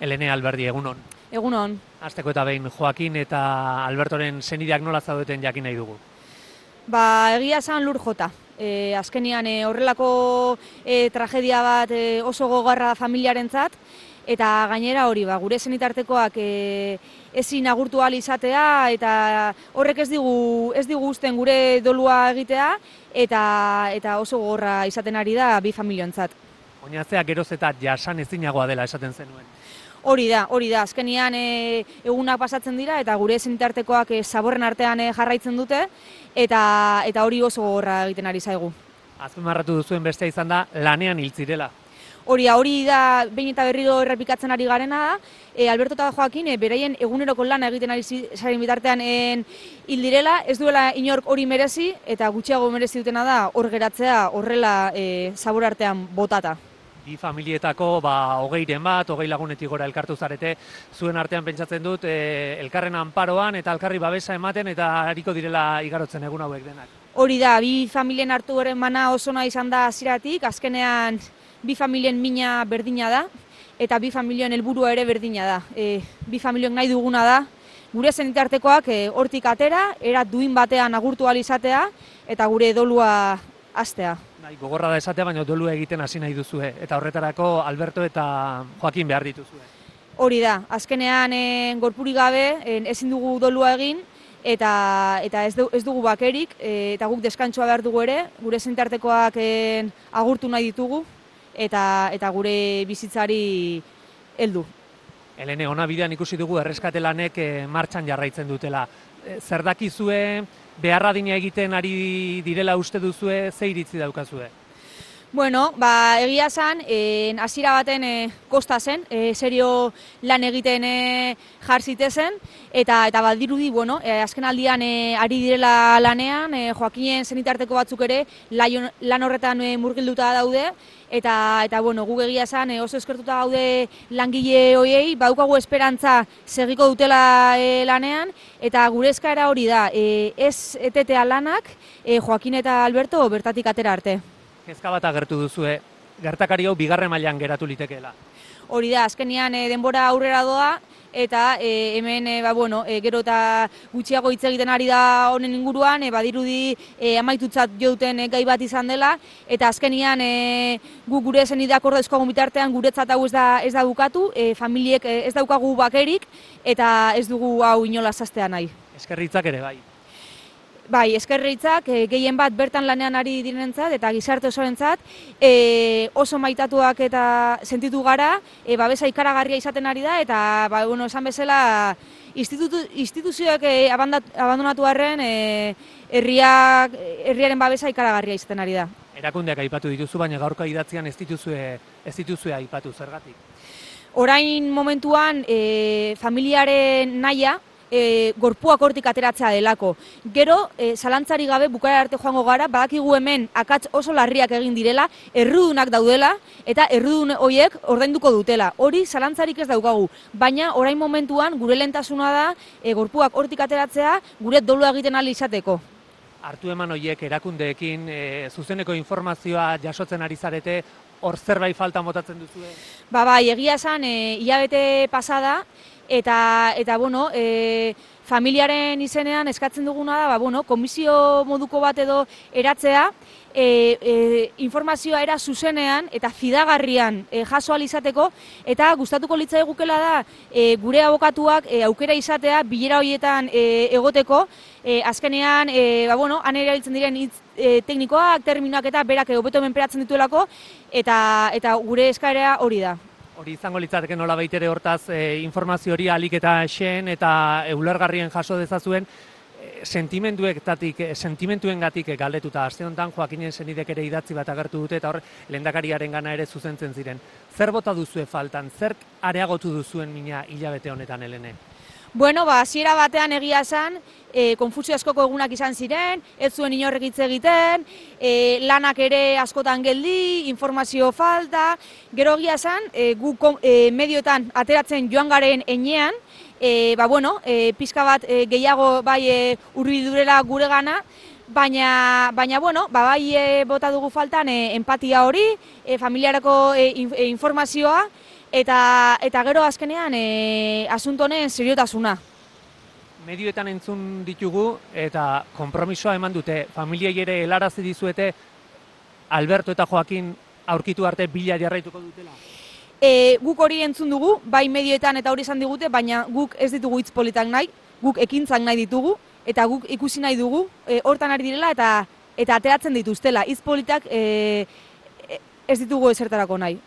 Elene Alberdi, egunon. Egunon. Hasteko eta behin Joakin eta Albertoren senideak nola zaudeten jakin nahi dugu. Egia esan lur jota. Azkenian horrelako tragedia bat oso gogorra familiarentzat, eta gainera hori, gure senitartekoak ezin agurtu ahal izatea, eta horrek ez digu uzten gure dolua egitea, eta oso gogorra izaten ari da bi familiontzat. Oinatzea geroz eta jasan ezinagoa dela esaten zenuen. Hori da, azkenian egunak pasatzen dira eta gure senitartekoak zaborren artean jarraitzen dute eta hori oso gogorra egiten ari zaigu. Azpimarratu duzuen bestea izan da lanean hil zirela. Hori da, behin eta berriro errepikatzen ari garena da, Alberto eta Joakin beraien eguneroko lana egiten ari zaren bitartean hil direla, ez duela inork hori merezi eta gutxiago merezi dutena da hor geratzea horrela zabor artean botata. Bi familietako 20 lagunetik gora elkartu zarete, zuen artean pentsatzen dut elkarren anparoan eta elkarri babesa ematen eta ariko direla igarotzen egun hauek denak. Hori da, bi familien hartu garen bana oso nahi izan da hasieratik, azkenean bi familien mina berdina da eta bi familien helburua ere berdina da. Bi familien nahi duguna da, gure senitartekoak hortik atera, era duin batean agurtu ahal izatea eta gure dolua hastea. Gogorra da esatea, baina dolua egiten hasi nahi duzue, eta horretarako Alberto eta Joakin behar dituzue. Hori da, azkenean gorpurik gabe ezin dugu dolua egin, eta ez dugu bakerik, eta guk deskantsua behar dugu ere, gure senitartekoak agurtu nahi ditugu, eta gure bizitzari heldu. Elene, ona bidean ikusi dugu erreskate lanek martxan jarraitzen dutela. Zer dakizue, beharra dina egiten ari direla uste duzue, ze iritzi daukazue? Bueno, egia esan, hasiera baten kosta zen, serio lan egiten jar zitezen, eta badirudi, azken aldian ari direla lanean, Joakinen senitarteko batzuk ere lan horretan murgilduta daude, eta guk egia esan oso eskertuta gaude langile horiei, badaukagu esperantza segiko dutela lanean, eta gure eskaera hori da, ez etetea lanak Joakin eta Alberto bertatik atera arte. Kezka bat agertu duzue, gertakari hau bigarren mailan geratu litekeela. Hori da, azkenean denbora aurrera doa, eta hemen gero eta gutxiago hitz egiten ari da honen inguruan, badirudi amaitutzat jo duten gai bat izan dela, eta azkenean gure senideak ordezkoagun bitartean guretzat hau ez da bukatu, familiek ez daukagu bakerik, eta ez dugu hau inola zaztea nahi. Eskerritzak ere bai. Bai, eskerritzak gehien bat bertan lanean ari direnentzat eta gizarte osorentzat oso maitatuak eta sentitu gara, babesa ikaragarria izaten ari da eta esan bezala instituzioak abandonatu arren herriaren babesa ikaragarria izaten ari da. Erakundeak aipatu dituzu, baina gaurko idatzian ez dituzue aipatu, zergatik? Orain momentuan familiaren nahia gorpuak hortik ateratzea delako. Gero, zalantzari gabe bukaera arte joango gara, badakigu hemen akats oso larriak egin direla, errudunak daudela, eta errudun horiek ordainduko dutela. Hori zalantzarik ez daukagu, baina orain momentuan gure lehentasuna da gorpuak hortik ateratzea gure dolua egiten ahal izateko. Hartu eman horiek erakundeekin zuzeneko informazioa jasotzen ari zarete, hor zerbait falta motatzen duzue? Bai, egia esan, hilabete pasada, eta familiaren izenean eskatzen duguna da, komisio moduko bat edo eratzea, informazioa era zuzenean eta fidagarrian jaso ahal izateko, eta gustatuko litzaigukela da gure abokatuak aukera izatea bilera horietan egoteko, azkenean han erabiltzen diren hitz teknikoak, terminoak eta berak hobeto menperatzen dituelako, eta gure eskaera hori da. Hori izango litzateke nola baitere hortaz informazio hori ahalik eta xeen eta ulergarrien jaso dezazuen sentimentuengatik galdetuta. Aste honetan Joakinen senidek ere idatzi bat agertu dute eta hor lehendakariaren gana ere zuzentzen ziren. Zer bota duzue faltan? Zer areagotu duzuen mina hilabete honetan, Elene? Hasiera batean egia esan, konfusio askoko egunak izan ziren, ez zuen inorrek hitz egiten, lanak ere askotan geldi, informazio falta, gero egia esan, guk medioetan ateratzen joan garen enean, pixka bat gehiago hurbiludurela gure gana, baina bota dugu faltan empatia hori, familiarako informazioa, Eta gero azkenean asunto honen seriotasuna. Medioetan entzun ditugu eta konpromisoa eman dute. Familiei ere helarazi dizuete Alberto eta Joakin aurkitu arte bila jarraituko dutela. Guk hori entzun dugu, bai medioetan eta hori esan digute, baina guk ez ditugu hitz politak nahi, guk ekintzak nahi ditugu, eta guk ikusi nahi dugu, hortan ari direla eta ateratzen dituztela. Hitz politak ez ditugu ezertarako nahi.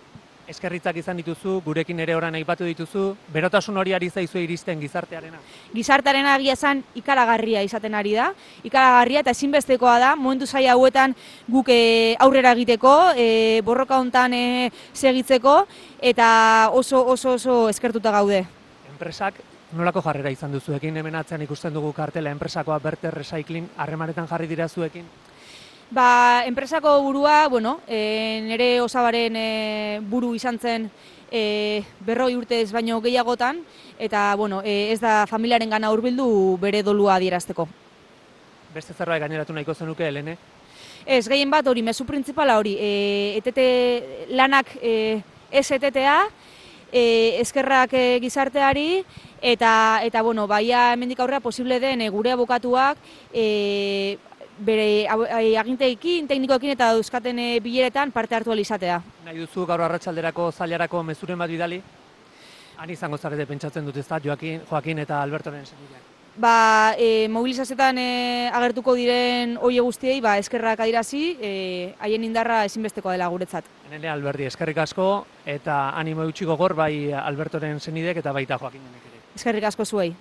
Eskerritzak izan dituzu, gurekin ere orain aipatu dituzu, berotasun hori ari zaizue iristen gizartearena. Gizartearena egia esan ikaragarria izaten ari da, ikaragarria eta ezinbestekoa da, momentu zaila hauetan guk aurrera egiteko, borroka hontan segitzeko, eta oso eskertuta gaude. Enpresak nolako jarrera izan duzuekin, hemen atzean ikusten dugu kartela, enpresakoa Berter Recycling harremanetan jarri dira zuekin? Enpresako burua, nire osabaren buru izan zen 40 urtez baino gehiagotan, eta ez da familiaren gana hurbildu bere dolua adierazteko. Beste zerbait gaineratu nahiko zenuke, Helene? Ez, gehien bat hori, mezu printzipala hori, lanak ez etetea, eskerrak gizarteari, eta baia hemendik aurrera posible den gure abokatuak bere aginteekin, teknikoekin eta dauzkaten bileretan parte hartu izatea. Nahi duzu gaur arratsalderako zailarako mezuren bat bidali? Han izango zarete pentsatzen dut ezta, Joakin eta Albertoren senideak. Mobilizazioetan agertuko diren hoe guztiei eskerrak adierazi, haien indarra ezinbestekoa dela guretzat. Enele Alberdi, eskerrik asko eta animo eutxi gogor bai Albertoren senidek eta baita Joakinenek ere. Eskerrik asko zuei.